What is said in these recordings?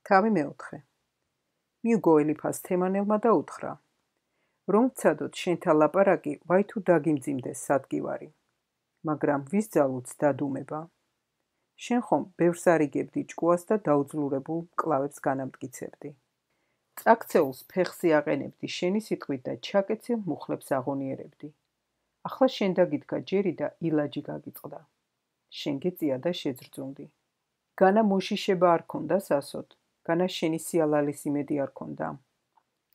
თავი მეოთხე. მიუგო ელიფას თემანელმა და უთხრა: რომ ვცადოთ შენთა ლაპარაკი, ვაი თუ დაგიმძიმდეს სადგივარი, მაგრამ ვის ძალუც დადუმება? შენ ხომ ბევრს არიგებდი ჭკუას და დაუძლურებულ მკლავებს განამტკიცებდი. წაქცეულს ფეხზე აყენებდი შენი სიტყვით და ჩაკეცილ მუხლებს აღონიერებდი. ახლა შენ დაგიდგა ჯერი და ილაჯი გაგიწყდა. შენ გეწია და შეძრძუნდი. განა მოშიშება არ ქონდა სასოდ, განა შენი სიალალის იმედი არ ქონდა.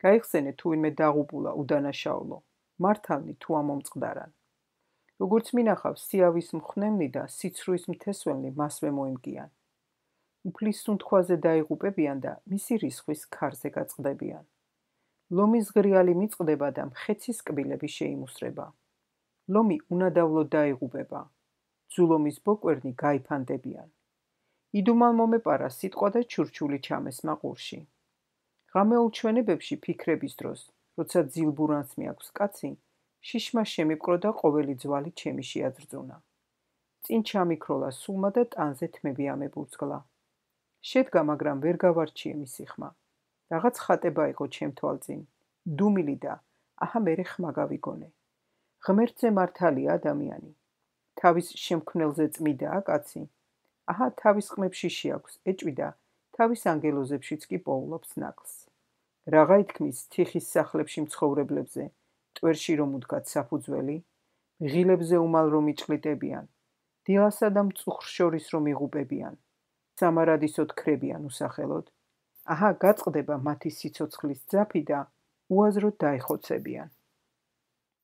გაიხსენე თუ ვინმე დაღუპულა უდანაშაულო, მართავნი თუ ამომწყდარან. როგორც მინახავს სიავის მხნემნი და სიცრუის მთესველნი მასვე მოიმგიან. უფლის სუნთქვაზე დაიღუპებიან და მისი რისხვის ქარზე გაწყდებიან. ლომის ღრიალი მიწყდება და მხეცის კბილები შეიმუსრება. ლომი უნადავლოდ დაიღუპება. ძულომის ბოკვერნი გაიფანდებიან. იდუმალ მომეპარა სიტყვა და ჩურჩული ჩამესმა ყურში. ღამეულ ჩვენებებში ფიქრების დროს, როცა ძილბურანს მიაქვს კაცი, შიშმა შემიპყრო და ყოველი ძვალი ჩემი შეაძრძუნა. წინ ჩამიქროლა სულმა და ტანზე თმები ამებურცგლა. შედგა, მაგრამ ვერ გავარჩიე მისი ხმა. რაღაც ხატება იყო ჩემ თვალწინ, დუმილი და აჰა მერე ხმა გავიგონე. ღმერთზე მართალია ადამიანი. თავის შემქმნელზე წმიდაა კაცი. აჰა თავის ყმებში შეაქვს ეჭვი და თავის ანგელოზებშიც კი პოულობს ნაკლს. რაღა ითქმის თიხის სახლებში მცხოვრებლებზე, ტვერში რომ უდგათ საფუძველი, ღილებზე უმალ რომ იჭყლიტებიან, დილასა და მწუხრ შორის რომ იღუპებიან, სამარადისოდ ქრებიან უსახელოდ, აჰა გაწყდება მათი სიცოცხლის ძაფი და უაზროდ დაიხოცებიან.